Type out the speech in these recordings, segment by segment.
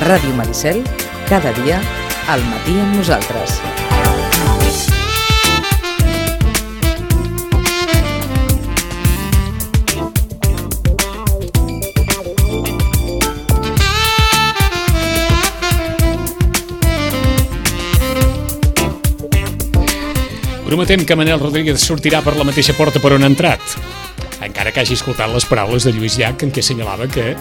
Ràdio Maricel, cada dia, al matí amb nosaltres. Prometem que Manel Rodríguez sortirà per la mateixa porta per on ha entrat, encara que hagi escoltat les paraules de Lluís Llach, en què assenyalava que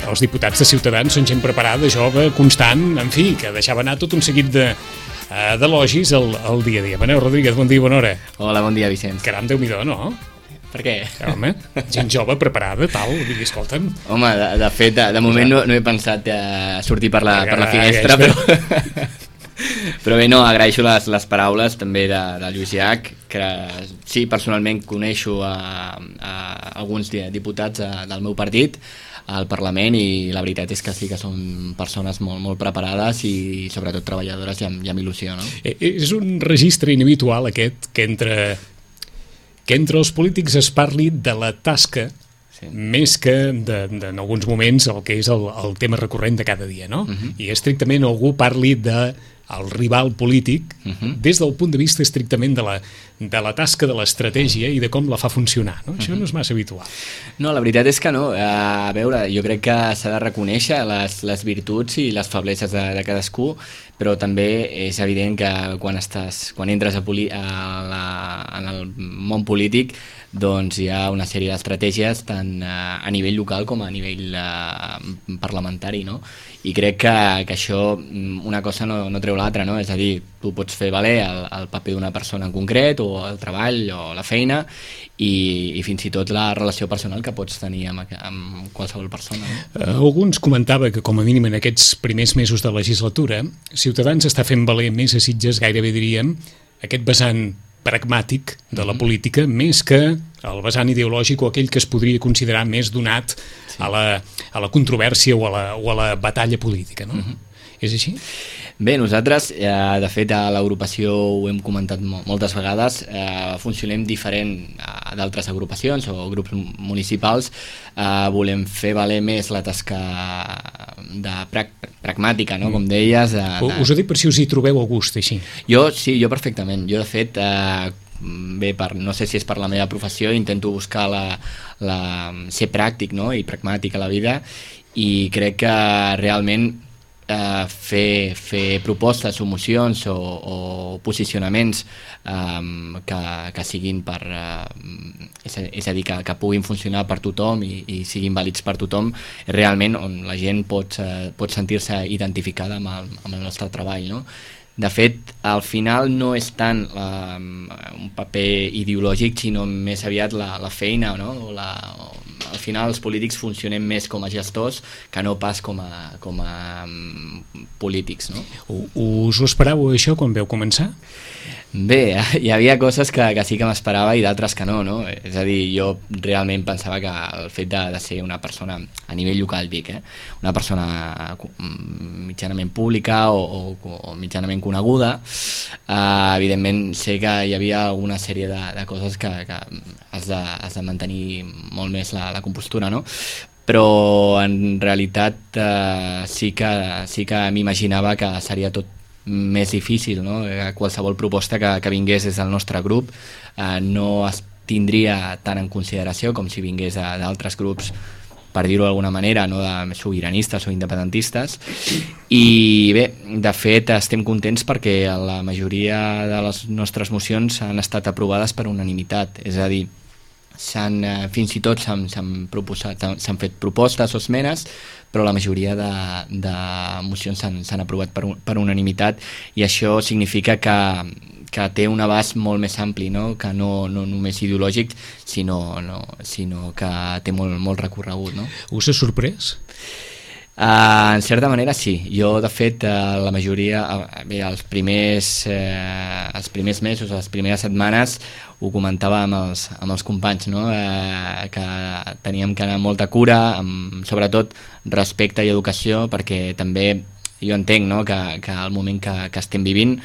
els diputats de Ciutadans són gent preparada, jove, constant, en fi, que deixava anar tot un seguit d'elogis al dia a dia. Manel Rodríguez, bon dia i bona hora. Hola, bon dia, Vicenç. Caram, Déu-n'hi-do, no? Per què? Home, gent jove, preparada, tal, vull dir, escolta'm. Home, de fet, de moment no he pensat sortir per la finestra, però bé, no, agraeixo les paraules també de Lluís Llach, que sí, personalment coneixo a alguns diputats del meu partit al Parlament, i la veritat és que sí que són persones molt, molt preparades i sobretot treballadores i amb il·lusió, no? És un registre inhabitual aquest, que entre els polítics es parli de la tasca, sí, més que en alguns moments el que és el tema recurrent de cada dia, no? I estrictament algú parli el rival polític des del punt de vista estrictament de la tasca, de l'estratègia i de com la fa funcionar, no? Això no és massa habitual. No, la veritat és que no. A veure, jo crec que s'ha de reconèixer les virtuts i les febleses de cadascú, però també és evident que quan entres en el món polític, doncs hi ha una sèrie d'estratègies tant a nivell local com a nivell parlamentari, no? I crec que això, una cosa no treu l'altra, no? És a dir, tu pots fer valer el paper d'una persona en concret, o el treball, o la feina, i fins i tot la relació personal que pots tenir amb qualsevol persona, no? Alguns comentava que, com a mínim en aquests primers mesos de legislatura, Ciutadans està fent valer més a Sitges, gairebé diríem, aquest vessant pragmàtic de la política, més que el vessant ideològic o aquell que es podria considerar més donat a la controvèrsia o a la batalla política, no? És així? Bé, nosaltres, de fet, a l'agrupació ho hem comentat moltes vegades, funcionem diferent d'altres agrupacions o grups municipals. Volem fer valer més la tasca pragmàtica, no? Com deies. Us ho dic per si us hi trobeu a gust, així. Sí, jo perfectament. Jo, de fet, bé, no sé si és per la meva professió, intento buscar ser pràctic, no? I pragmàtic a la vida, i crec que realment fer propostes o mocions o posicionaments que siguin és a dir, que puguin funcionar per tothom i siguin vàlids per tothom, realment on la gent pot sentir-se identificada amb el nostre treball, no? De fet, al final no és tant un paper ideològic, sinó més aviat la feina, no? Al final els polítics funcionem més com a gestors que no pas com a polítics, no? Us ho esperàveu, això, quan vau començar? Bé, hi havia coses que sí que m'esperava i d'altres que no? És a dir, jo realment pensava que el fet de ser una persona, a nivell local dic, una persona mitjanament pública o mitjanament coneguda, evidentment sé que hi havia alguna sèrie de coses que has de mantenir molt més la compostura, no? Però en realitat sí que m'imaginava que seria tot més difícil, no? Qualsevol proposta que vingués des del nostre grup no es tindria tant en consideració com si vingués d'altres grups, per dir-ho d'alguna manera, no, de sobiranistes o independentistes. I bé, de fet estem contents perquè la majoria de les nostres mocions han estat aprovades per unanimitat, és a dir, fins i tot s'han fet propostes o esmenes, però la majoria de mocions s'han aprovat per unanimitat, i això significa que té un abast molt més ampli, no? Que no només ideològic, sinó que té molt recorregut, no? Us ha sorprès? En certa manera sí. Jo, de fet, la majoria, bé, els primers mesos, les primeres setmanes, ho comentava amb els companys, no? Que teníem que anar amb molta cura, amb sobretot respecte i educació, perquè també jo entenc, no? que el moment que estem vivint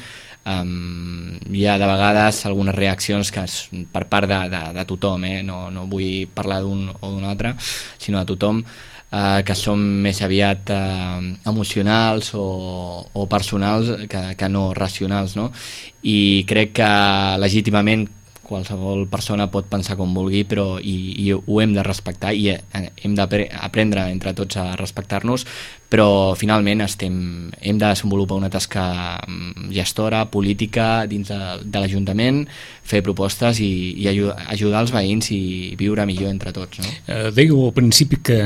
hi ha de vegades algunes reaccions que per part de tothom, no vull parlar d'un o d'un altre, sinó de tothom, que són més aviat emocionals o personals que no racionals, no? I crec que legítimament qualsevol persona pot pensar com vulgui, però i ho hem de respectar i hem d'aprendre entre tots a respectar-nos, però finalment hem de desenvolupar una tasca gestora, política dins de l'Ajuntament, fer propostes i ajudar els veïns i viure millor entre tots, no? Dèieu al principi que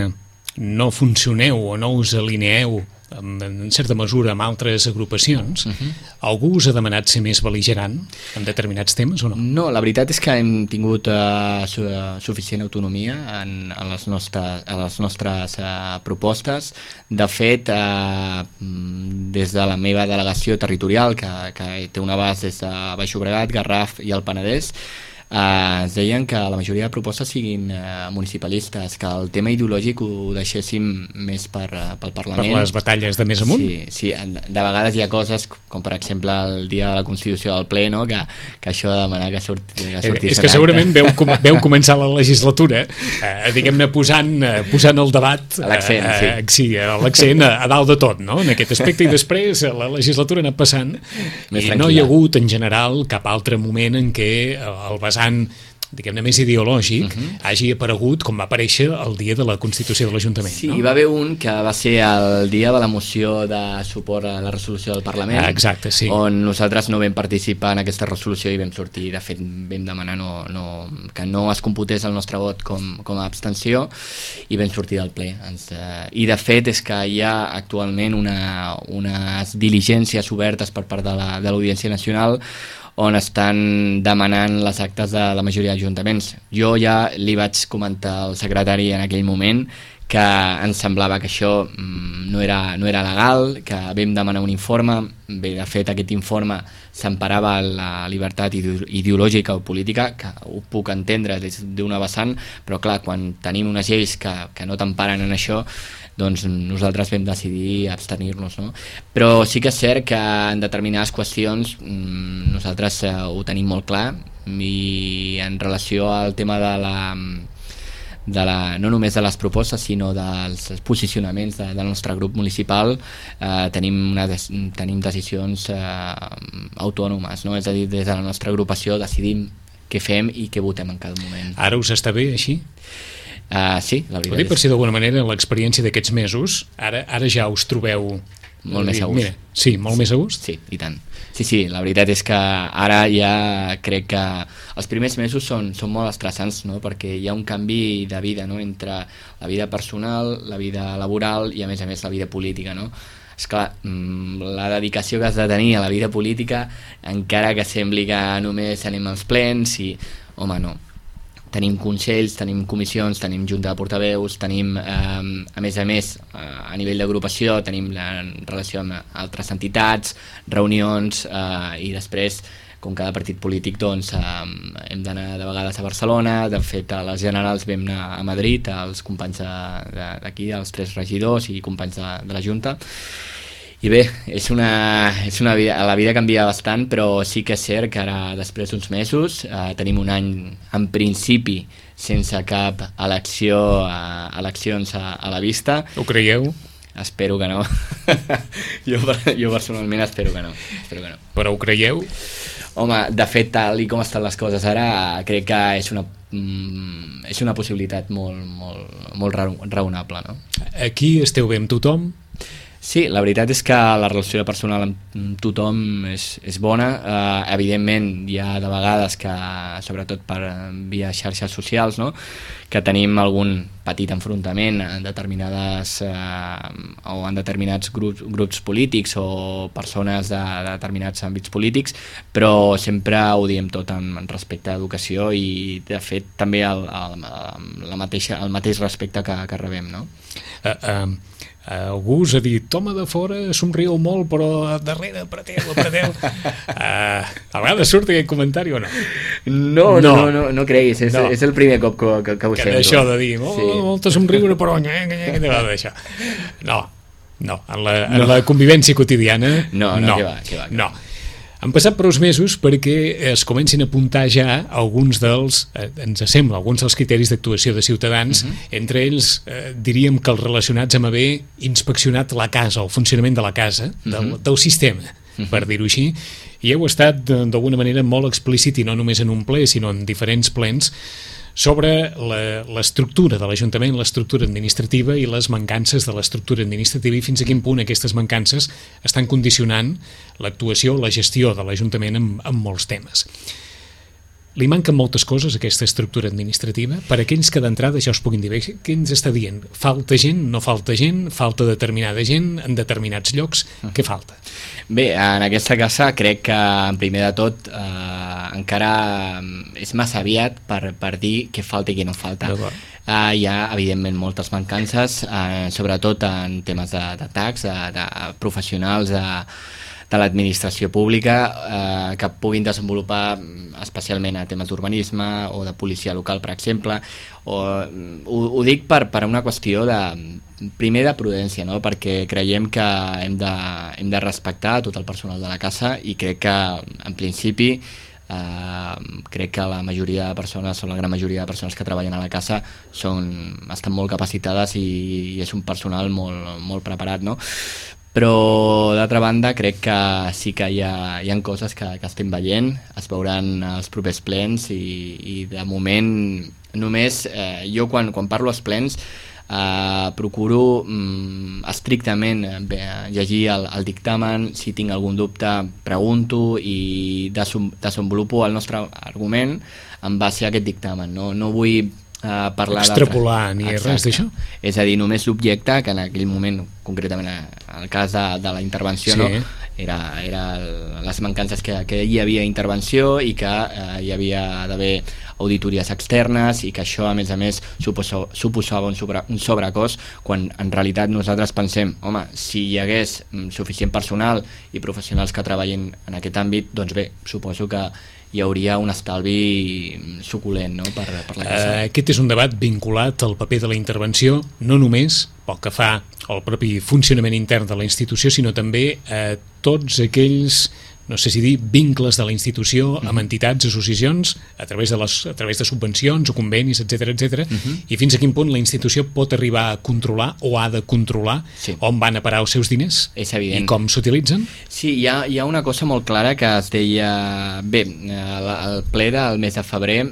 no funcioneu o no us alineeu en certa mesura amb altres agrupacions. Algú us ha demanat ser més bel·ligerant en determinats temes o no? No, la veritat és que hem tingut suficient autonomia en les nostres propostes. De fet, des de la meva delegació territorial, que té un abast des de Baix Llobregat, Garraf i el Penedès, ens deien que la majoria de propostes siguin municipalistes, que el tema ideològic ho deixéssim més pel Parlament. Per les batalles de més amunt? Sí, de vegades hi ha coses, com per exemple el dia de la Constitució del Ple, no? que això de demanar que sortís... És que segurament veu començar la legislatura, diguem-ne, posant el debat... L'accent, sí, l'accent a dalt de tot, no? En aquest aspecte, i després la legislatura ha anat passant i no hi ha hagut, en general, cap altre moment en què el vessant, diguem-ne, més ideològic hagi aparegut com va aparèixer el dia de la Constitució de l'Ajuntament. Sí, no? Hi va haver un que va ser el dia de la moció de suport a la resolució del Parlament, exacte, sí. On nosaltres no vam participar en aquesta resolució i vam sortir, de fet vam demanar que no es computés el nostre vot com a abstenció i vam sortir del ple. I de fet és que hi ha actualment unes diligències obertes per part de l'Audiència Nacional on estan demanant les actes de la majoria d'ajuntaments. Jo ja li vaig comentar al secretari en aquell moment que ens semblava que això no era legal, que vam demanar un informe. Bé, de fet, aquest informe s'emparava la llibertat ideològica o política, que ho puc entendre des d'una vessant, però clar, quan tenim unes lleis que no t'emparen en això, doncs nosaltres vam decidir abstenir-nos, no? Però sí que és cert que en determinades qüestions nosaltres ho tenim molt clar, i en relació al tema no només de les propostes sinó dels posicionaments del nostre grup municipal, tenim decisions autònomes, no? És a dir, des de la nostra agrupació decidim què fem i què votem en cada moment. Ara us està bé així? Sí, la veritat és... Per si d'alguna manera l'experiència d'aquests mesos, ara ja us trobeu... Molt més a gust. Mira, sí, molt més a gust? Sí, i tant. Sí, la veritat és que ara ja crec que els primers mesos són molt estressants, no? Perquè hi ha un canvi de vida, no? Entre la vida personal, la vida laboral i a més la vida política, no? Esclar, la dedicació que has de tenir a la vida política, encara que sembli que només anem als plens i... Home, no. Tenim consells, tenim comissions, tenim junta de portaveus, tenim, a més, a nivell d'agrupació, tenim la relació amb altres entitats, reunions, i després, com cada partit polític, doncs, hem d'anar de vegades a Barcelona. De fet, a les generals vam anar a Madrid, els companys d'aquí, els 3 regidors i companys de la Junta. I bé, és una vida, la vida canvia bastant, però sí que és cert que ara, després d'uns mesos, tenim un any, en principi, sense cap eleccions a la vista. Ho creieu? Espero que no. jo personalment espero que no. Però ho creieu? Home, de fet, tal i com estan les coses ara, crec que és una possibilitat molt raonable, no? Aquí esteu bé amb tothom? Sí, la veritat és que la relació personal amb tothom és bona. Evidentment hi ha de vegades que, sobretot per via xarxes socials, no?, que tenim algun petit enfrontament en determinades o en determinats grups polítics o persones de determinats àmbits polítics, però sempre ho diem tot amb respecte a educació i, de fet, també el mateix respecte que rebem, no? Algú us ha dit, home, de fora somriu molt, però darrere apreteu. A vegades surt aquest comentari o no? No creguis, és el primer cop que ho sento. Això de dir, molta somriure, però què te va d'això? No, en la convivència quotidiana, no. Han passat prou mesos perquè es comencin a apuntar ja alguns dels, ens sembla, alguns dels criteris d'actuació de Ciutadans, entre ells diríem que els relacionats amb haver inspeccionat la casa, el funcionament de la casa, del sistema, per dir-ho així, i heu estat d'alguna manera molt explícit, i no només en un ple, sinó en diferents plens, sobre l'estructura de l'Ajuntament, l'estructura administrativa i les mancances de l'estructura administrativa i fins a quin punt aquestes mancances estan condicionant l'actuació o la gestió de l'Ajuntament en molts temes. Li manquen moltes coses a aquesta estructura administrativa. Per aquells que d'entrada ja us puguin dir, què ens està dient? Falta gent, no falta gent, falta determinada gent en determinats llocs, què falta? Bé, en aquesta casa crec que primer de tot encara és massa aviat per dir què falta i què no falta. Hi ha evidentment moltes mancances, sobretot en temes de tax, de professionals, de l'administració pública que puguin desenvolupar especialment a temes d'urbanisme o de policia local, per exemple. Ho dic per una qüestió primer de prudència, no? Perquè creiem que hem de respectar tot el personal de la casa i crec que en principi crec que la majoria de persones o la gran majoria de persones que treballen a la casa estan molt capacitades i és un personal molt preparat, no? Però d'altra banda crec que sí que hi ha coses que estem veient, es veuran als propers plens i de moment només jo quan parlo als plens procuro estrictament llegir el dictamen, si tinc algun dubte pregunto i desenvolupo el nostre argument en base a aquest dictamen, no vull parlar extrapolar ni res d'això. És a dir, només l'objecte, que en aquell moment, concretament en el cas de la intervenció, sí, no? Era les mancances que hi havia intervenció i que hi havia d'haver auditories externes i que això a més suposava un sobrecost, quan en realitat nosaltres pensem, home, si hi hagués suficient personal i professionals que treballin en aquest àmbit, doncs bé, suposo que hi hauria un estalvi suculent, no? per la casa. Aquest és un debat vinculat al paper de la intervenció, no només pel que fa al propi funcionament intern de la institució, sinó també a tots aquells, no sé si dir, vincles de la institució amb entitats, associacions, a través de subvencions o convenis, etc, i fins a quin punt la institució pot arribar a controlar o ha de controlar on van a parar els seus diners i com s'utilitzen? Sí, hi ha una cosa molt clara que es deia... Bé, al ple del mes de febrer,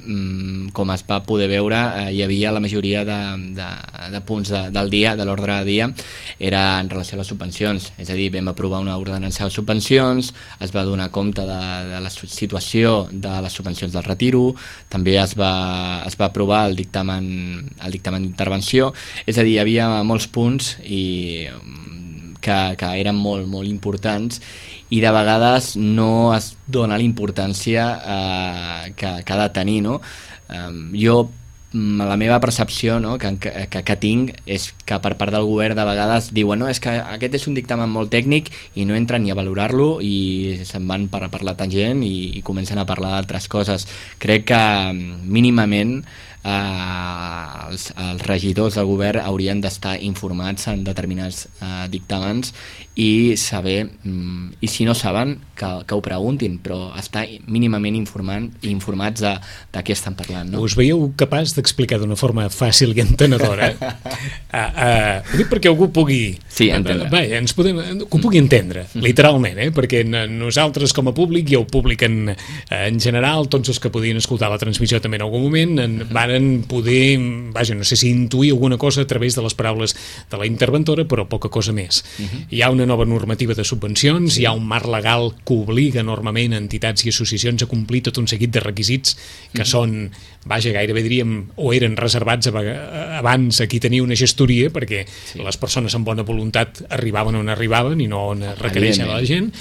com es va poder veure, hi havia la majoria de punts del dia, de l'ordre del dia, era en relació a les subvencions. És a dir, vam aprovar una ordenança de subvencions, es va donar compte de la situació de les subvencions del retiro, també es va aprovar el dictamen d'intervenció, és a dir, hi havia molts punts que eren molt importants i de vegades no es dona la importància que ha de tenir, no? Jo la meva percepció, no, que tinc és que per part del govern de vegades diuen no, és que aquest és un dictamen molt tècnic i no entren ni a valorar-lo i se'n van per la tangent i comencen a parlar d'altres coses. Crec que mínimament els regidors del govern haurien d'estar informats en determinats dictàmens i saber, i si no saben que ho preguntin, però estar mínimament informats de què estan parlant, no? Us veieu capaç d'explicar d'una forma fàcil i entenedora ho dic perquè algú pugui entendre. Que ho pugui entendre, literalment, perquè nosaltres com a públic i el públic en general, tots els que podien escoltar la transmissió també en algun moment varen poder, no sé si intuir alguna cosa a través de les paraules de la interventora, però poca cosa més. Hi ha una nova normativa de subvencions, hi ha un marc legal que obliga enormement entitats i associacions a complir tot un seguit de requisits que són, gairebé diríem, o eren reservats abans a qui tenia una gestoria, perquè les persones amb bona voluntat arribaven on arribaven i no on requereixen la gent.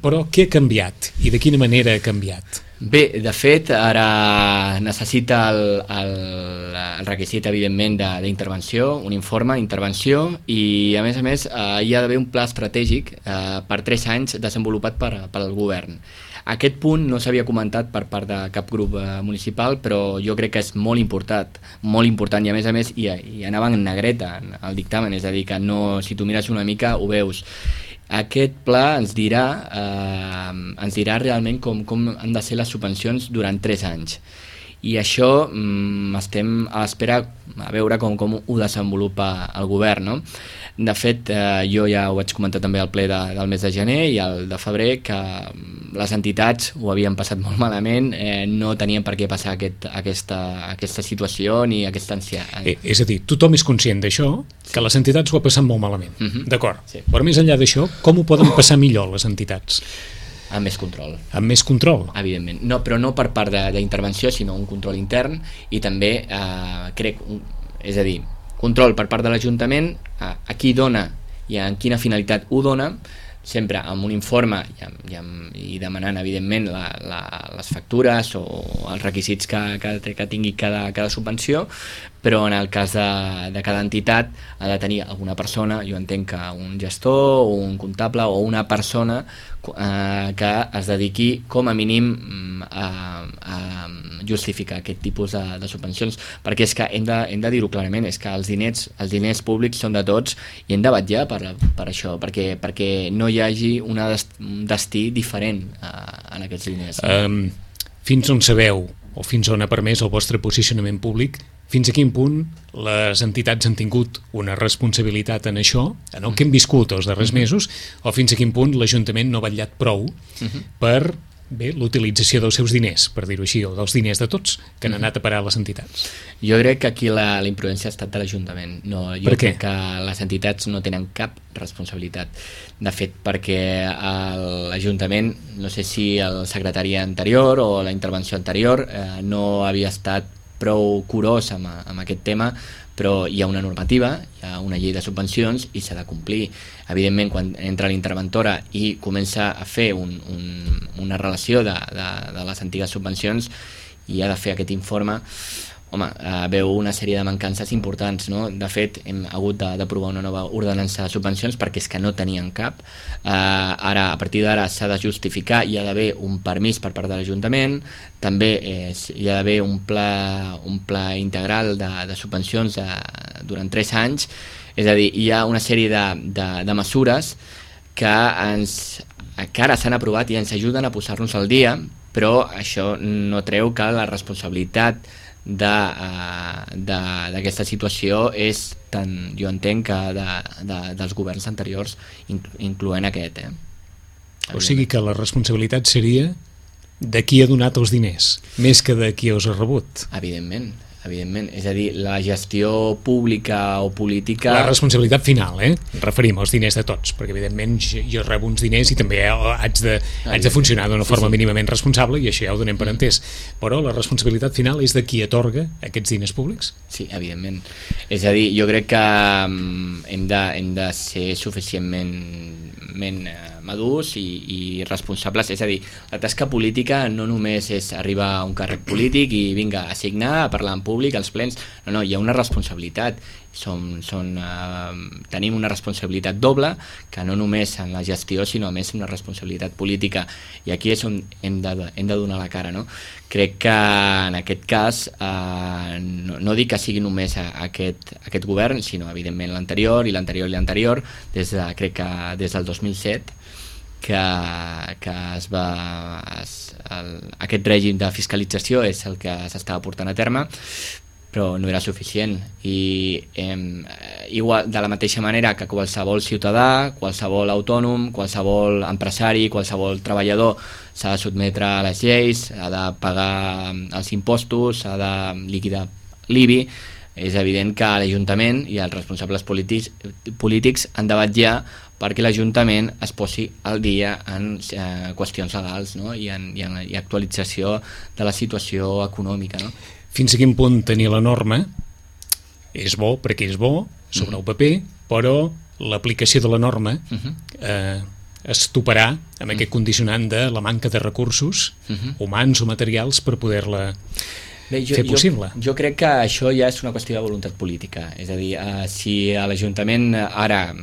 Però què ha canviat i de quina manera ha canviat? Bé, de fet, ara necessita el requisit, evidentment, d'intervenció, un informe d'intervenció i, a més, hi ha d'haver un pla estratègic per 3 anys desenvolupat pel govern. Aquest punt no s'havia comentat per part de cap grup municipal, però jo crec que és molt important i, a més, hi anava en negreta el dictamen, és a dir, que no, si tu mires una mica ho veus. aquest pla ens dirà realment com han de ser les subvencions durant 3 anys. I això estem a l'espera a veure com ho desenvolupa el govern, no? De fet, jo ja ho vaig comentar també al ple del mes de gener i al de febrer, que les entitats ho havien passat molt malament, no tenien per què passar aquesta situació ni aquesta ansietat. És a dir, tothom és conscient d'això, que les entitats ho ha passat molt malament, d'acord. Sí. Però més enllà d'això, com ho poden passar millor les entitats? Amb més control. Amb més control? Evidentment. No, però no per part d'intervenció, sinó un control intern i també, és a dir, control per part de l'Ajuntament, a qui dona i en quina finalitat ho dona, sempre amb un informe i demanant, evidentment, les factures o els requisits que tingui cada subvenció, però en el cas de cada entitat ha de tenir alguna persona, jo entenc que un gestor o un comptable o una persona que es dediqui com a mínim a justificar aquest tipus de subvencions, perquè és que hem de dir-ho clarament, és que els diners públics són de tots i hem de vetllar per això, perquè no hi hagi un destí diferent en aquests diners. Fins on sabeu o fins on ha permès el vostre posicionament públic, fins a quin punt les entitats han tingut una responsabilitat en això, en el que hem viscut els darrers mesos, o fins a quin punt l'Ajuntament no ha vetllat prou per l'utilització dels seus diners, per dir-ho així, o dels diners de tots que han anat a parar a les entitats? Jo crec que aquí la imprudència ha estat de l'Ajuntament. Jo crec que les entitats no tenen cap responsabilitat. De fet, perquè l'Ajuntament, no sé si el secretari anterior o la intervenció anterior no havia estat prou curós amb aquest tema, però hi ha una normativa, hi ha una llei de subvencions i s'ha de complir. Evidentment, quan entra l'interventora i comença a fer una relació de les antigues subvencions i ha de fer aquest informe, home, veu una sèrie de mancances importants, no? De fet, hem hagut d'aprovar una nova ordenança de subvencions perquè és que no tenien cap. Ara, a partir d'ara s'ha de justificar, hi ha d'haver un permís per part de l'Ajuntament, també hi ha d'haver un pla integral de subvencions durant 3 anys, és a dir, hi ha una sèrie de mesures que ara s'han aprovat i ens ajuden a posar-nos al dia, però això no treu que la responsabilitat d'aquesta situació és tant, jo entenc, que dels governs anteriors, incloent aquest. O sigui que la responsabilitat seria de qui ha donat els diners, més que de qui els ha rebut. Evidentment. És a dir, la gestió pública o política... La responsabilitat final, referim als diners de tots, perquè evidentment jo rebo uns diners i també haig de funcionar d'una forma mínimament responsable i això ja ho donem per entès, però la responsabilitat final és de qui atorga aquests diners públics? Sí, evidentment. És a dir, jo crec que hem de ser suficientment madurs i responsables, és a dir, la tasca política no només és arribar a un càrrec polític i vinga a signar, a parlar en públic, als plens, no, hi ha una responsabilitat, tenim una responsabilitat doble, que no només en la gestió, sinó a més una responsabilitat política, i aquí és on hem de donar la cara, no? Crec que en aquest cas no dic que sigui només aquest govern, sinó evidentment l'anterior i l'anterior i l'anterior, crec que des del 2007 que aquest règim de fiscalització és el que s'estava portant a terme, però no era suficient i igual, de la mateixa manera que qualsevol ciutadà, qualsevol autònom, qualsevol empresari, qualsevol treballador s'ha de sotmetre a les lleis, ha de pagar els impostos, ha de liquidar l'IBI, és evident que l'Ajuntament i els responsables polítics han de vetllar perquè l'Ajuntament es posi al dia en qüestions legals, no? i actualització de la situació econòmica, no? Fins a quin punt tenir la norma és bo perquè és bo sobre el paper, però l'aplicació de la norma es toparà amb aquest condicionant de la manca de recursos humans o materials per poder-la fer possible. Jo crec que això ja és una qüestió de voluntat política, és a dir, si l'Ajuntament ara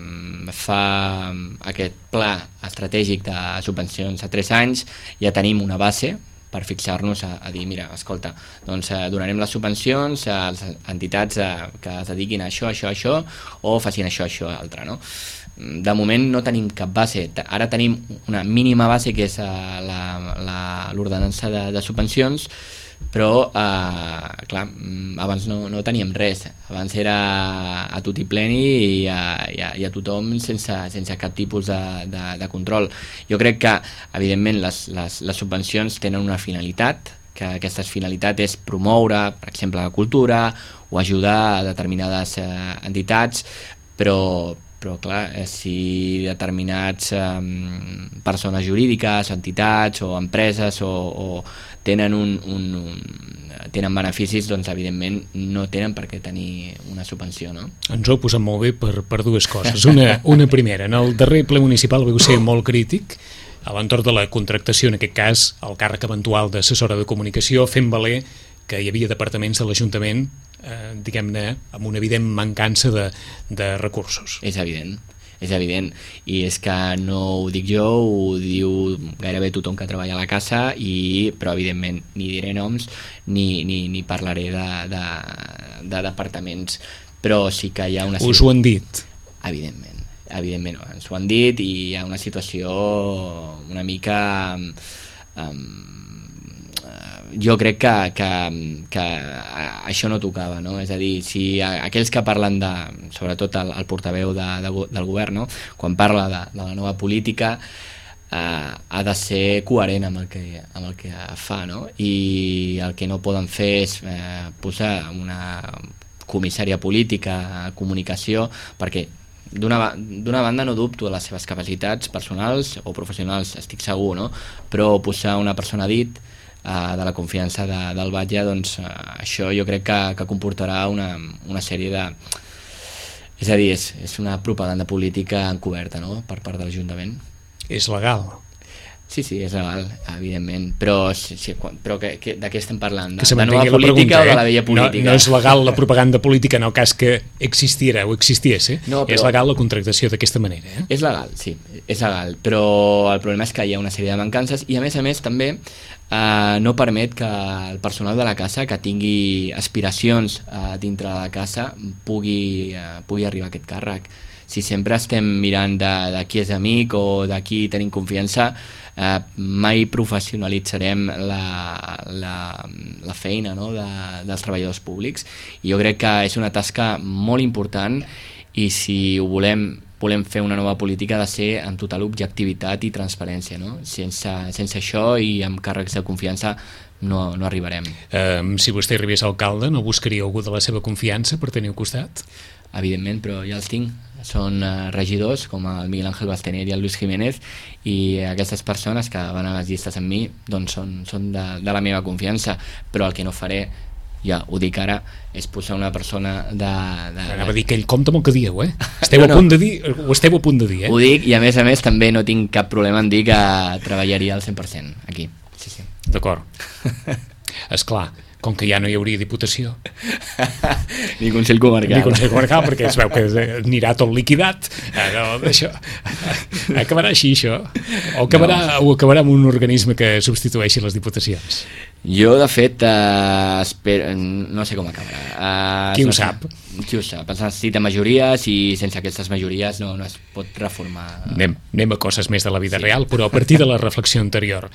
fa aquest pla estratègic de subvencions a 3 anys, ja tenim una base per fixar-nos a dir, mira, escolta, doncs donarem les subvencions a les entitats que es dediquin a això, o facin això, altre, no? De moment no tenim cap base, ara tenim una mínima base que és l'ordenança de subvencions, però clar, abans no teníem res, abans era a tutti pleni i a tothom sense cap tipus de control. Jo crec que evidentment les subvencions tenen una finalitat, que aquesta finalitat és promoure, per exemple, la cultura o ajudar a determinades entitats, però clar, si determinats persones jurídiques, entitats o empreses o tenen tenen beneficis, doncs evidentment no tenen per què tenir una subvenció, no? Ens ho heu posat molt bé per dues coses. Una primera, en el darrer ple municipal vau ser molt crític a l'entorn de la contractació, en aquest cas el càrrec eventual d'assessora de comunicació, fent valer que hi havia departaments de l'Ajuntament diguem-ne, amb una evident mancança de recursos. És evident, i és que no ho dic jo, ho diu gairebé tothom que treballa a la casa, però evidentment ni diré noms ni parlaré de departaments, però sí que hi ha una... Us ho han dit? Evidentment, ens ho han dit, i hi ha una situació una mica... jo crec que això no tocava, no? És a dir, si aquells que parlen sobretot el portaveu del govern, no? Quan parla de la nova política ha de ser coherent amb el que fa, no? I el que no poden fer és posar una comissària política a comunicació, perquè d'una banda no dubto de les seves capacitats personals o professionals, estic segur, no? Però posar una persona a dit de la confiança del batlle, doncs això jo crec que comportarà una sèrie de... És a dir, és una propaganda política encoberta, no?, per part de l'Ajuntament. És legal? Sí, és legal, evidentment, però de què estem parlant? De nova política o de la vella política? No és legal la propaganda política en el cas que existiera o existiés, No, és legal la contractació d'aquesta manera, És legal, sí, és legal, però el problema és que hi ha una sèrie de mancances i a més també no permet que el personal de la casa que tingui aspiracions dintre de la casa pugui arribar a aquest càrrec. Si sempre estem mirant de qui és amic o de qui tenim confiança, mai professionalitzarem la feina, no?, dels treballadors públics, i jo crec que és una tasca molt important, i si ho volem fer una nova política ha de ser amb total objectivitat i transparència, no? Sense això i amb càrrecs de confiança no arribarem. Si vostè arribés a alcalde, no buscaria algú de la seva confiança per tenir al costat? Evidentment, però ja els tinc. Són regidors com el Miguel Ángel Bastener i el Luis Jiménez, i aquestes persones que van a les llistes amb mi doncs són de la meva confiança, però el que no faré, ja ho dic ara, és posar una persona Anava a dir que ell compta amb el que dieu, Esteu a punt de dir, ho esteu a punt de dir, Ho dic, i a més també no tinc cap problema en dir que treballaria al 100% aquí. Sí. D'acord. Esclar, com que ja no hi hauria Diputació ni Consell Comarcal, perquè es veu que anirà tot liquidat, això acabarà així, això, o acabarà amb un organisme que substitueixi les diputacions. Jo, de fet, no sé com acabarà. Qui ho sap? Es necessita majories, i sense aquestes majories no es pot reformar. Anem a coses més de la vida real, però a partir de la reflexió anterior.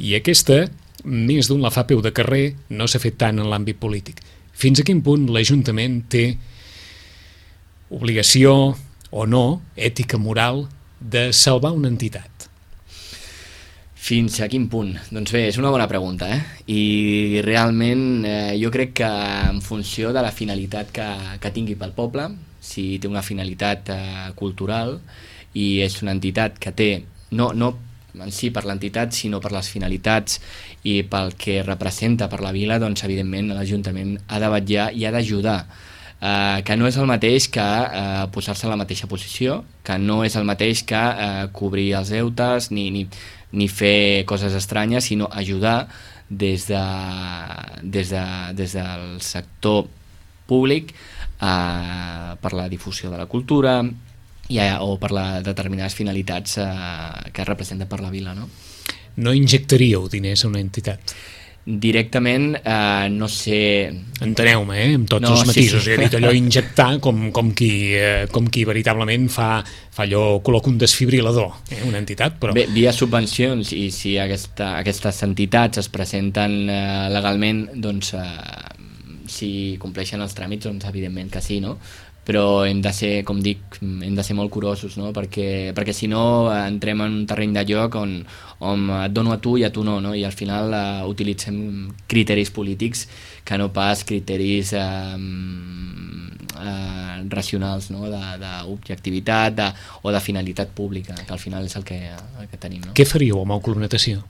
I aquesta, més d'un la fa peu de carrer, no s'ha fet tant en l'àmbit polític. Fins a quin punt l'Ajuntament té obligació o no, ètica, moral, de salvar una entitat? Fins a quin punt? Doncs bé, és una bona pregunta, I realment jo crec que en funció de la finalitat que tingui pel poble, si té una finalitat cultural i és una entitat que té, no en si per l'entitat, sinó per les finalitats i pel que representa per la vila, doncs evidentment l'Ajuntament ha de vetllar i ha d'ajudar, que no és el mateix que posar-se a la mateixa posició, que no és el mateix que cobrir els deutes ni fer coses estranyes, sinó ajudar des del sector públic per la difusió de la cultura o per les determinades finalitats que representa per la vila, no? no injectaríeu diners a una entitat? Directament, no sé... Enteneu-me, amb tots els matisos. He dit allò injectar com qui veritablement fa allò, col·loca un desfibrilador, una entitat, però... Bé, via subvencions, i si aquestes entitats es presenten legalment, doncs si compleixen els tràmits, doncs evidentment que sí, no? Però hem de ser, com dic, hem de ser molt curosos, no? Perquè si no entrem en un terreny de joc on et dono a tu i a tu no? I al final utilitzem criteris polítics que no pas criteris racionals, no? D'objectivitat o de finalitat pública, que al final és el que tenim, no? Què faríeu amb el Club Natació?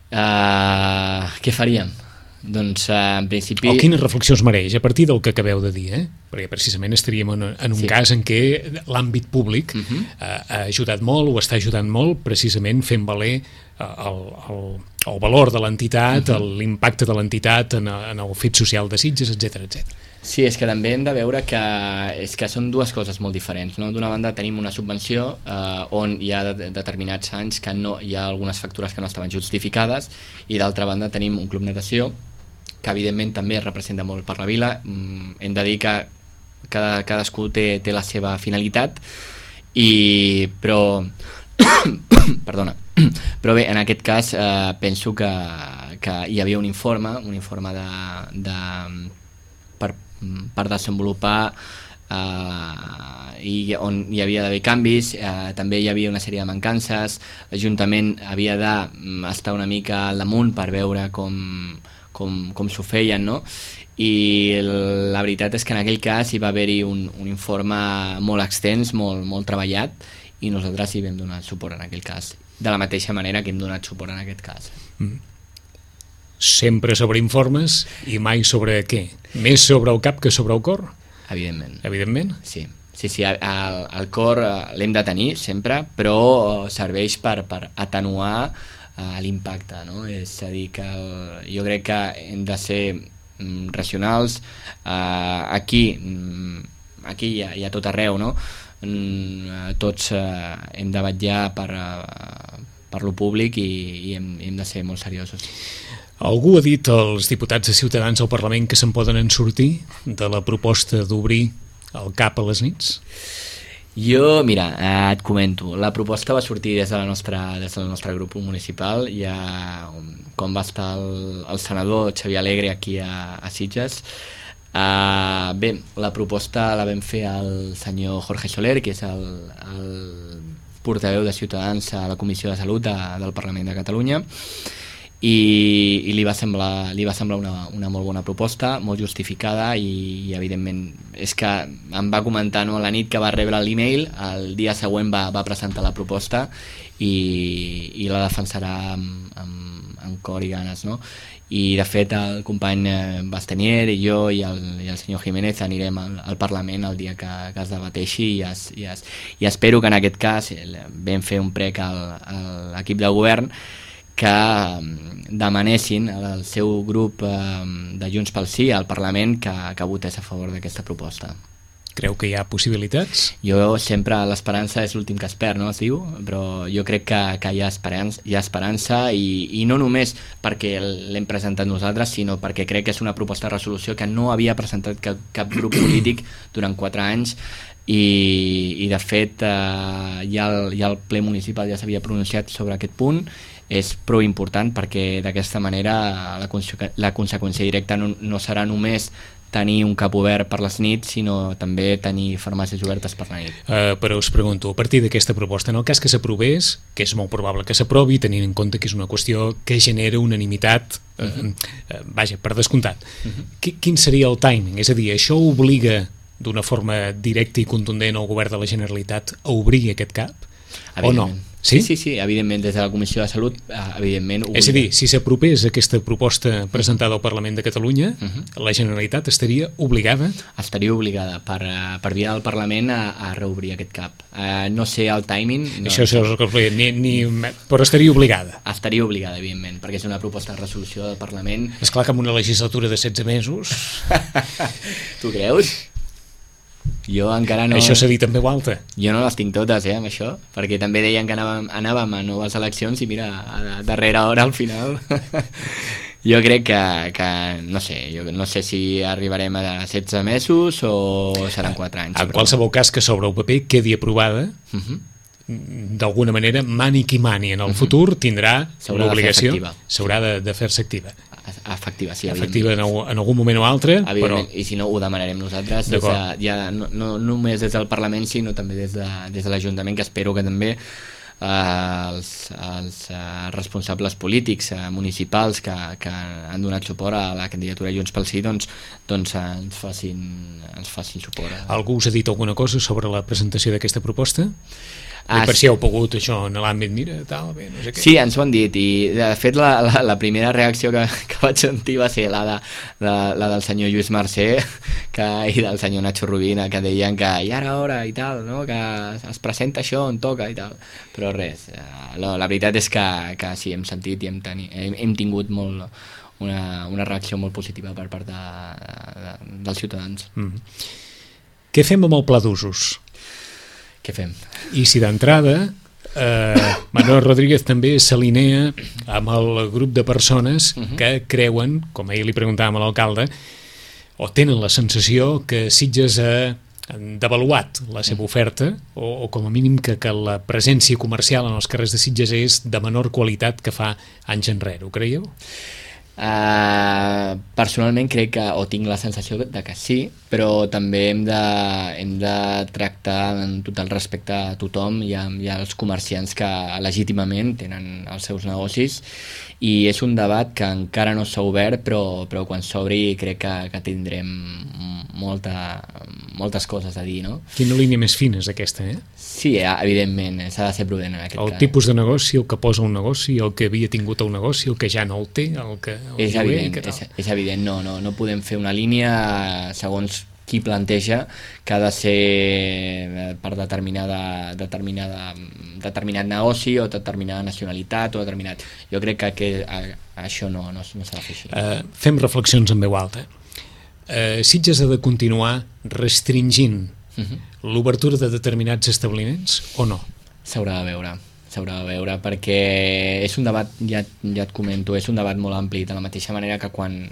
Què faríem? Doncs en principi... Quines reflexions mereix a partir del que acabeu de dir, perquè precisament estaríem en un cas en què l'àmbit públic ha ajudat molt o està ajudant molt precisament fent valer el valor de l'entitat, l'impacte de l'entitat en el fet social de Sitges, etc. Sí, és que també hem de veure que són dues coses molt diferents, no? D'una banda tenim una subvenció on hi ha determinats anys que no, hi ha algunes factures que no estaven justificades, i d'altra banda tenim un club natació que evidentment també representa molt per la vila. Hem de dir que cadascú té la seva finalitat, però perdona, però bé, en aquest cas penso que hi havia un informe per desenvolupar i on hi havia d'haver canvis, també hi havia una sèrie de mancances, l'Ajuntament havia d'estar una mica al damunt per veure com s'ho feien, no? I la veritat és que en aquell cas hi va haver-hi un informe molt extens, molt treballat, i nosaltres hi vam donar suport en aquell cas, de la mateixa manera que hem donat suport en aquest cas. Sempre sobre informes i mai sobre què? Més sobre el cap que sobre el cor? Evidentment. Sí, el cor l'hem de tenir sempre, però serveix per atenuar l'impacte, no? És a dir, que jo crec que hem de ser racionals. Aquí i a tot arreu, no? Tots hem de vetllar per lo públic i hem de ser molt seriosos. Algú ha dit als diputats de Ciutadans al Parlament que se'n poden sortir de la proposta d'obrir el CAP a les nits? Jo, mira, et comento, la proposta va sortir des del nostre grup municipal, ja quan va estar el senador Xavier Alegre aquí a Sitges. Bé, la proposta la vam fer al senyor Jorge Soler, que és el portaveu de Ciutadans a la Comissió de Salut del Parlament de Catalunya, i li va semblar una molt bona proposta, molt justificada, i evidentment és que em va comentar, no, la nit que va rebre l'email, el dia següent va presentar la proposta i la defensarà amb cor i ganes, no? I de fet el company Bastenier i jo i el senyor Jiménez anirem al Parlament el dia que es debateixi, i espero que en aquest cas vam fer un prec a l'equip de govern que demanessin al seu grup de Junts pel Sí al Parlament que votés a favor d'aquesta proposta. Creu que hi ha possibilitats? Jo sempre, l'esperança és l'últim que es perd, no es diu? Però jo crec que hi ha esperança, i no només perquè l'hem presentat nosaltres, sinó perquè crec que és una proposta de resolució que no havia presentat cap grup polític durant 4 anys, i de fet ja el ple municipal ja s'havia pronunciat sobre aquest punt. És prou important perquè d'aquesta manera la conseqüència directa no serà només tenir un CAP obert per les nits, sinó també tenir farmàcies obertes per la nit. Però us pregunto, a partir d'aquesta proposta, en el cas que s'aprovés, que és molt probable que s'aprovi, tenint en compte que és una qüestió que genera unanimitat, vaja, per descomptat, quin seria el timing? És a dir, això obliga d'una forma directa i contundent al govern de la Generalitat a obrir aquest CAP? O no? Sí, evidentment, des de la Comissió de Salut, evidentment... És a dir, si s'aprovés aquesta proposta presentada al Parlament de Catalunya, la Generalitat estaria obligada? Estaria obligada per via del Parlament a reobrir aquest CAP. No sé el timing... Això és el que però estaria obligada? Estaria obligada, evidentment, perquè és una proposta de resolució del Parlament. Esclar que amb una legislatura de 16 mesos... Tu creus? Jo encara no... Això s'ha dit en veu alta. Jo no les tinc totes, amb això, perquè també deien que anàvem a noves eleccions i mira, a darrera hora, al final... Jo crec que no sé, jo no sé si arribarem a 16 mesos o seran 4 anys. En qualsevol cas que sobre el paper quedi aprovada, d'alguna manera, mani qui mani en el futur tindrà l'obligació, s'haurà de fer-se activa. Efectiva, sí. Efectiva en algun moment o altre, però... I si no, ho demanarem nosaltres, no només des del Parlament, sinó també des de l'Ajuntament, que espero que també els responsables polítics municipals que han donat suport a la candidatura Junts pel Sí doncs ens facin suport. Algú us ha dit alguna cosa sobre la presentació d'aquesta proposta? Per si heu pogut això en l'àmbit, mira, tal, bé, no sé què. Sí, ens ho han dit, i de fet la primera reacció que vaig sentir va ser la del senyor Lluís Mercè i del senyor Nacho Rubina, que deien que ja era hora i tal, no? Que es presenta això on toca i tal, però res, la veritat és que sí, hem sentit i hem tingut una reacció molt positiva per part dels ciutadans. Què fem amb el pla d'usos? Què fem? I si d'entrada Manuel Rodríguez també s'alinea amb el grup de persones que creuen, com ahir li preguntàvem a l'alcalde, o tenen la sensació que Sitges ha devaluat la seva oferta o com a mínim que la presència comercial en els carrers de Sitges és de menor qualitat que fa anys enrere, ho creieu? Personalment crec que, o tinc la sensació de que sí, però també hem de tractar en tot el respecte a tothom i als comerciants que legítimament tenen els seus negocis, i és un debat que encara no s'ha obert, però quan s'obri crec que tindrem moltes coses a dir, no? Quina línia més fina és aquesta, Sí, evidentment, s'ha de ser prudent en aquest cas. El tipus de negoci, el que posa un negoci, el que havia tingut el negoci, el que ja no el té, és evident, no podem fer una línia segons qui planteja que ha de ser per determinat negoci o determinada nacionalitat o determinat... Jo crec que això no s'ha de fer així. Fem reflexions en veu alta. Sitges ha de continuar restringint l'obertura de determinats establiments o no? S'haurà de veure perquè és un debat, ja et comento, és un debat molt ampli, de la mateixa manera que quan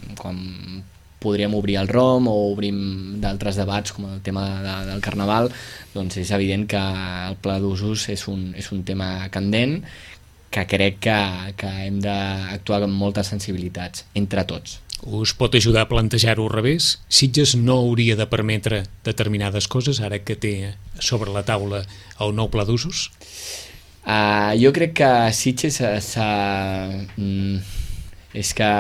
podríem obrir el ROM o obrim d'altres debats com el tema del Carnaval, doncs és evident que el pla d'usos és un tema candent que crec que hem d'actuar amb moltes sensibilitats, entre tots. Us pot ajudar a plantejar-ho al revés? Sitges no hauria de permetre determinades coses ara que té sobre la taula el nou pla d'usos? Jo crec que Sitges és que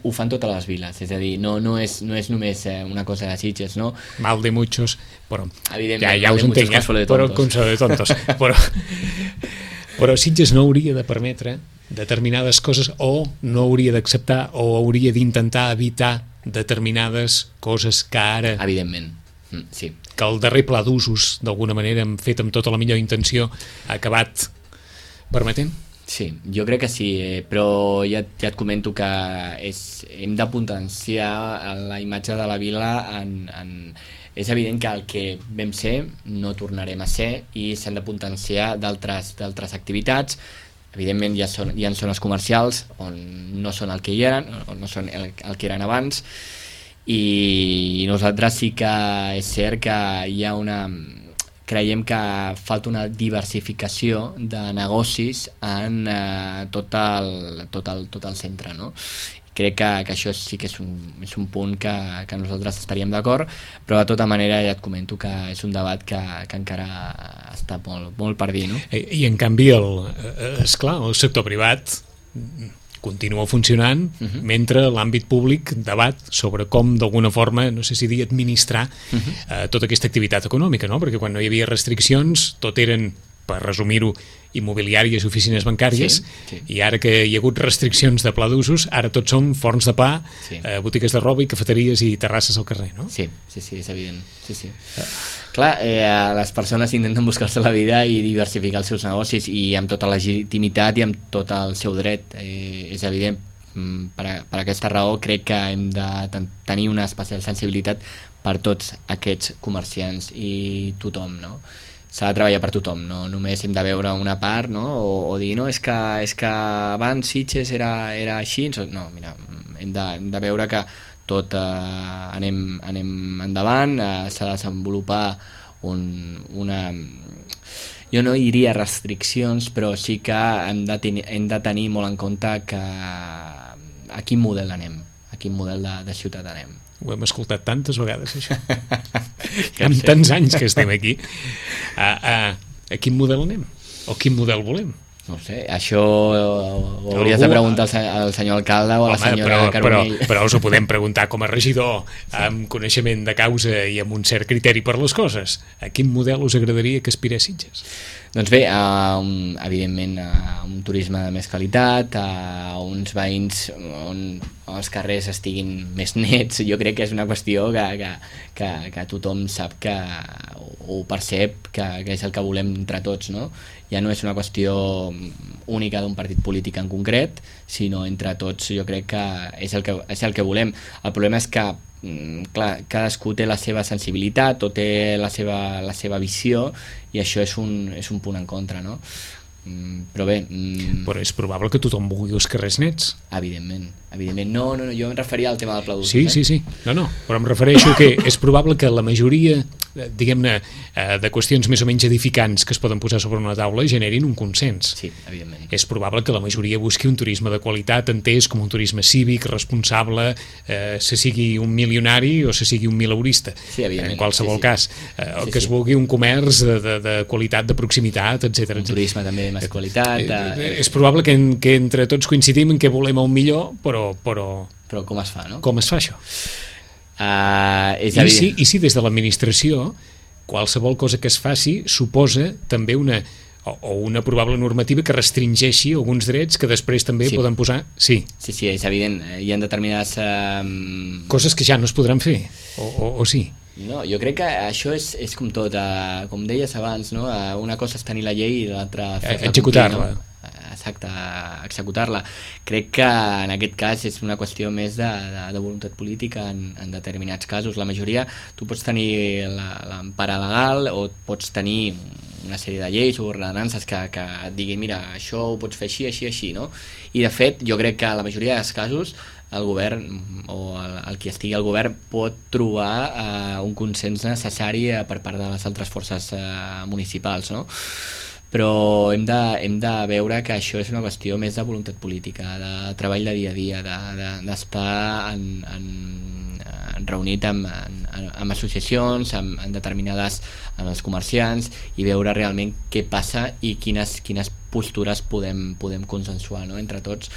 ho fan totes les viles, és a dir, no és només una cosa de Sitges, no? Mal de muchos, però ja us entenc, però consuelo de tontos, però Sitges no hauria de permetre determinades coses o no hauria d'acceptar o hauria d'intentar evitar determinades coses que ara... Evidentment, sí. Que el darrer pla d'usos, d'alguna manera, fet amb tota la millor intenció, ha acabat permetent? Sí, jo crec que sí, però ja et comento que hem de potenciar la imatge de la vila és evident que el que vam ser no tornarem a ser i s'han de potenciar d'altres activitats. Evidentment hi ha zones comercials on no són el que hi eren, o no són el que eren abans, i nosaltres sí que és cert que hi ha creiem que falta una diversificació de negocis en tot el centre, no? Crec que això sí que és un punt que nosaltres estaríem d'acord, però de tota manera ja et comento que és un debat que encara està molt per dir, no? I en canvi, esclar, el sector privat continua funcionant mentre l'àmbit públic debat sobre com d'alguna forma, no sé si dir, administrar tota aquesta activitat econòmica, no? Perquè quan no hi havia restriccions tot eren, per resumir-ho, immobiliàries i oficines bancàries, i ara que hi ha hagut restriccions de pla d'usos, ara tots són forns de pa, botigues de roba i cafeteries i terrasses al carrer, no? Sí, és evident. Sí. Clar, les persones intenten buscar-se la vida i diversificar els seus negocis, i amb tota la legitimitat i amb tot el seu dret, és evident, per aquesta raó crec que hem de tenir una especial sensibilitat per tots aquests comerciants i tothom, no? S'ha de treballar per tothom, no només hem de veure una part, no? O dir, no, és que abans Sitges era així, no, mira, hem de veure que tot anem endavant, s'ha de desenvolupar una... Jo no diria restriccions, però sí que hem de tenir molt en compte que a quin model anem, a quin model de ciutat anem. Ho hem escoltat tantes vegades, això. Amb tants anys que estem aquí. A quin model anem? O quin model volem? No sé, això ho hauries de preguntar al senyor alcalde o a la senyora Carbonell. Però us ho podem preguntar com a regidor, amb coneixement de causa i amb un cert criteri per les coses. A quin model us agradaria que aspirés Sitges? Doncs bé, evidentment a un turisme de més qualitat, a uns veïns on els carrers estiguin més nets. Jo crec que és una qüestió que tothom sap, que ho percep, que és el que volem entre tots, no? Ja no és una qüestió única d'un partit polític en concret, sinó entre tots. Jo crec que és el que volem. El problema és que clar, cadascú té la seva sensibilitat o té la seva visió, i això és un punt en contra, no? Però bé... Però és probable que tothom vulgui els carrers nets. Evidentment. No, jo em referia al tema del Pla d'Usos. Sí. No, però em refereixo que és probable que la majoria, diguem-ne, de qüestions més o menys edificants que es poden posar sobre una taula generin un consens. Sí, evidentment. És probable que la majoria busqui un turisme de qualitat, entès com un turisme cívic, responsable, se sigui un milionari o se sigui un mileurista. Sí, evidentment. En qualsevol cas. O que es vulgui un comerç de qualitat, de proximitat, etc. Un turisme també de més qualitat. És probable que entre tots coincidim en què volem el millor, però com es fa, no? Com es fa això? I si des de l'administració qualsevol cosa que es faci suposa també una probable normativa que restringeixi alguns drets que després també poden posar... Sí, és evident. Hi ha determinades... coses que ja no es podran fer, o sí? No, jo crec que això és com tot, com deies abans, no? Una cosa és tenir la llei i l'altra fer-la executar-la. Complir, no? Exacte, executar-la. Crec que en aquest cas és una qüestió més de voluntat política en determinats casos. La majoria, tu pots tenir l'empara legal o pots tenir una sèrie de lleis o ordenances que et diguin, mira, això ho pots fer així, no? I de fet, jo crec que la majoria dels casos el govern o el qui estigui al govern pot trobar un consens necessari per part de les altres forces municipals, no? Però hem de veure que això és una qüestió més de voluntat política, de treball de dia a dia, d'estar reunit amb associacions, amb determinades, amb els comerciants, i veure realment què passa i quines postures podem consensuar, no? Entre tots.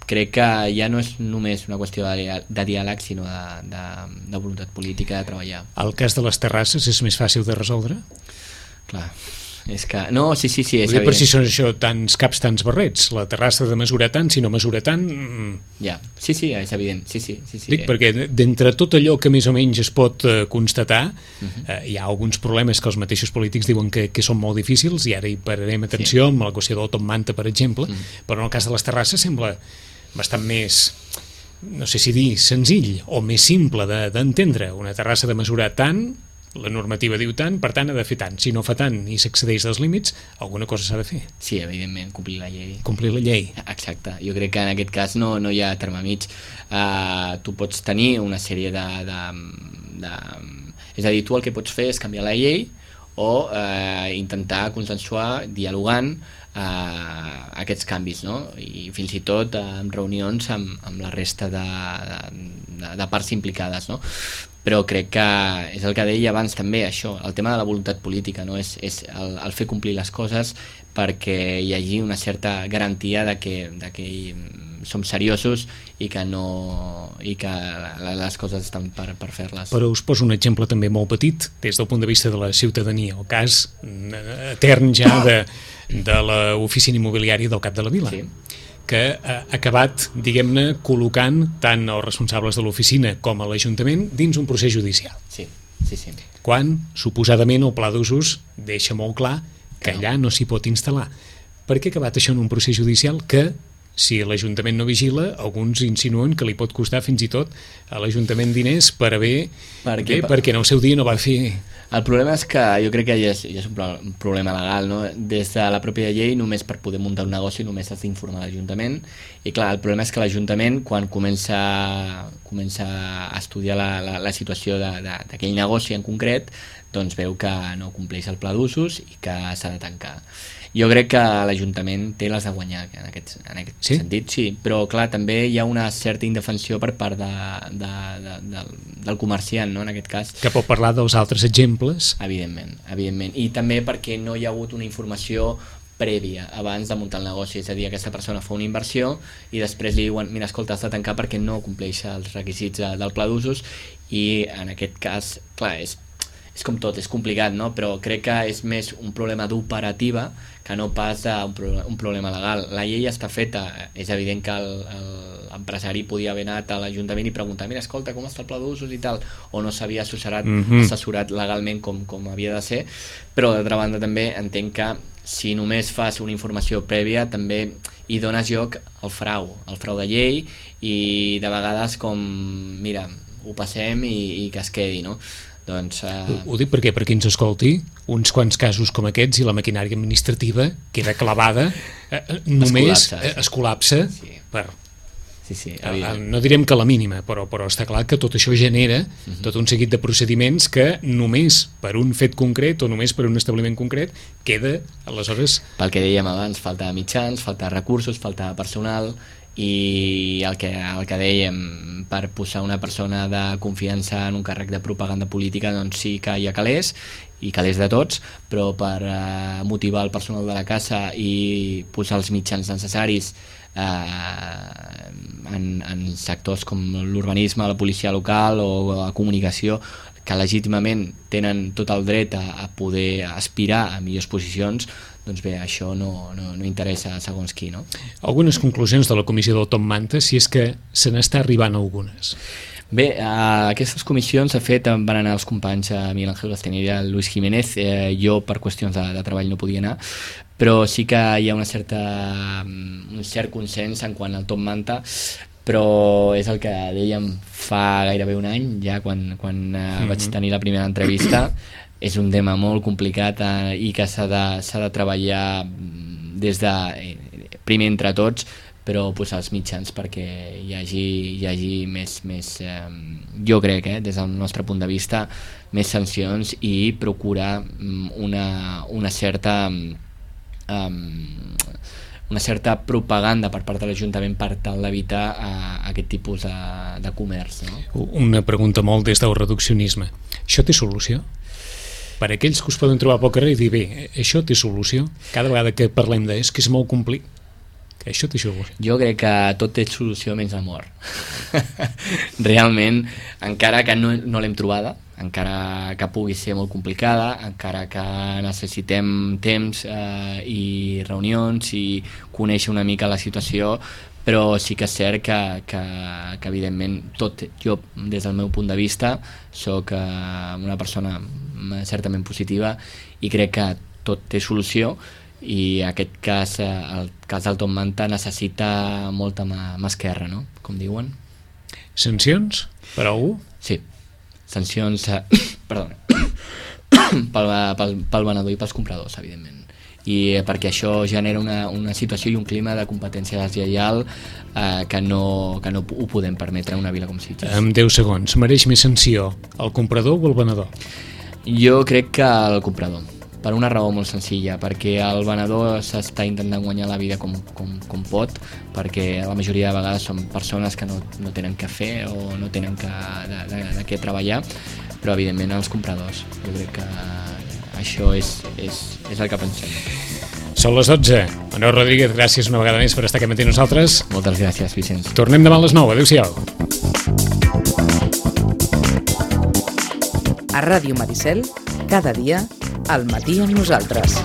Crec que ja no és només una qüestió de diàleg, sinó de voluntat política, de treballar. El cas de les terrasses és més fàcil de resoldre? Clar, és que... No, sí, és evident. Per si són això tants caps, tants barrets. La terrassa de mesurar tant, si no mesura tant... Ja, sí, és evident. Sí. Dic, perquè d'entre tot allò que més o menys es pot constatar, hi ha alguns problemes que els mateixos polítics diuen que són molt difícils, i ara hi pararem atenció amb la qüestió del Top Manta, per exemple, però en el cas de les terrasses sembla bastant més... no sé si dir senzill o més simple d'entendre. Una terrassa de mesurar tant, la normativa diu tant, per tant ha de fer tant. Si no fa tant i s'excedeix dels límits, alguna cosa s'ha de fer. Sí, evidentment, complir la llei. Complir la llei. Exacte. Jo crec que en aquest cas no hi ha terme mig. Tu pots tenir una sèrie és a dir, tu el que pots fer és canviar la llei o intentar consensuar, dialogant aquests canvis, no? I fins i tot en reunions amb la resta de parts implicades, no? Però crec que és el que deia abans també, això, el tema de la voluntat política, no? És el fer complir les coses perquè hi hagi una certa garantia de que som seriosos i que les coses estan per fer-les. Però us poso un exemple també molt petit des del punt de vista de la ciutadania, el cas etern ja de l'oficina immobiliària del Cap de la Vila. Sí. Que ha acabat, diguem-ne, col·locant tant els responsables de l'oficina com a l'Ajuntament dins un procés judicial. Sí. Quan, suposadament, el Pla d'Usos deixa molt clar que allà no s'hi pot instal·lar. Per què ha acabat això en un procés judicial que si l'Ajuntament no vigila, alguns insinuen que li pot costar fins i tot a l'Ajuntament diners per haver... perquè en el seu dia no va fer... El problema és que jo crec que ja és un problema legal, no? Des de la pròpia llei, només per poder muntar un negoci només has d'informar l'Ajuntament, i clar, el problema és que l'Ajuntament, quan comença a estudiar la situació d'aquell negoci en concret, doncs veu que no compleix el pla d'usos i que s'ha de tancar. Jo crec que l'Ajuntament té les de guanyar en aquest sentit, sí, però clar, també hi ha una certa indefensió per part del comerciant, no? En aquest cas. Que pot parlar dels altres exemples. Evidentment, i també perquè no hi ha hagut una informació prèvia abans de muntar el negoci, és a dir, aquesta persona fa una inversió i després li diuen, mira, escolta, has de tancar perquè no compleix els requisits del pla d'usos, i en aquest cas, clar, és com tot, és complicat, no? Però crec que és més un problema d'operativa que no pas un problema legal. La llei està feta, és evident que l'empresari podia haver anat a l'Ajuntament i preguntar, mira, escolta, com està el pla d'usos i tal, o no s'havia assessorat legalment com havia de ser, però d'altra banda també entenc que si només fas una informació prèvia també hi dones lloc al frau de llei, i de vegades com, mira, ho passem i que es quedi, no? Doncs, Ho dic perquè ens escolti, uns quants casos com aquests i la maquinària administrativa queda clavada, només es col·lapsa per... Sí, no direm que la mínima, però està clar que tot això genera tot un seguit de procediments que només per un fet concret o només per un establiment concret queda, aleshores... Pel que dèiem abans, falta mitjans, falta recursos, falta personal, i el que dèiem, per posar una persona de confiança en un càrrec de propaganda política, doncs sí que hi ha calés, i calés de tots, però per motivar el personal de la casa i posar els mitjans necessaris en sectors com l'urbanisme, la policia local o la comunicació, que legítimament tenen tot el dret a poder aspirar a millors posicions, doncs bé, això no interessa a segons qui, no? Algunes conclusions de la comissió del Top Manta, si és que se n'està arribant algunes. Bé, a aquestes comissions, de fet, van anar els companys Miguel Ángel Castaneda i Luis Jiménez. Jo, per qüestions de treball, no podia anar, però sí que hi ha un cert consens en quant al Top Manta, però és el que dèiem fa gairebé un any, ja quan vaig tenir la primera entrevista. És un tema molt complicat i que s'ha de treballar des de primer entre tots, però posar els mitjans perquè hi hagi més jo crec, des del nostre punt de vista, més sancions i procurar una certa propaganda per part de l'Ajuntament per tal d'evitar aquest tipus de comerç, no? Una pregunta molt des del reduccionisme. Això té solució? Per a aquells que us poden trobar pel carrer i dir, bé, això té solució? Cada vegada que parlem és que és molt complicat, que això té solució. Jo crec que tot té solució menys l'amor. Realment, encara que no l'hem trobada, encara que pugui ser molt complicada, encara que necessitem temps i reunions i conèixer una mica la situació, però sí que és cert que evidentment jo des del meu punt de vista soc una persona certament positiva i crec que tot té solució, i aquest cas, el cas del Top Manta, necessita molta mà esquerra, no? Com diuen. Sancions per a algú? Sí, sancions perdona pel venedor i pels compradors, evidentment, i perquè això genera una situació i un clima de competència deslleial que no ho podem permetre en una vila com Sitges. En 10 segons, mereix més sanció el comprador o el venedor? Jo crec que el comprador, per una raó molt senzilla, perquè el venedor s'està intentant guanyar la vida com pot, perquè la majoria de vegades són persones que no tenen què fer o no tenen de què treballar, però evidentment els compradors. Jo crec que això és el que pensem. Són les 12. Manel Rodríguez, gràcies una vegada més per estar aquí amb nosaltres. Moltes gràcies, Vicenç. Tornem demà a les 9. Adéu-siau. A Ràdio Maricel, cada dia, al matí amb nosaltres.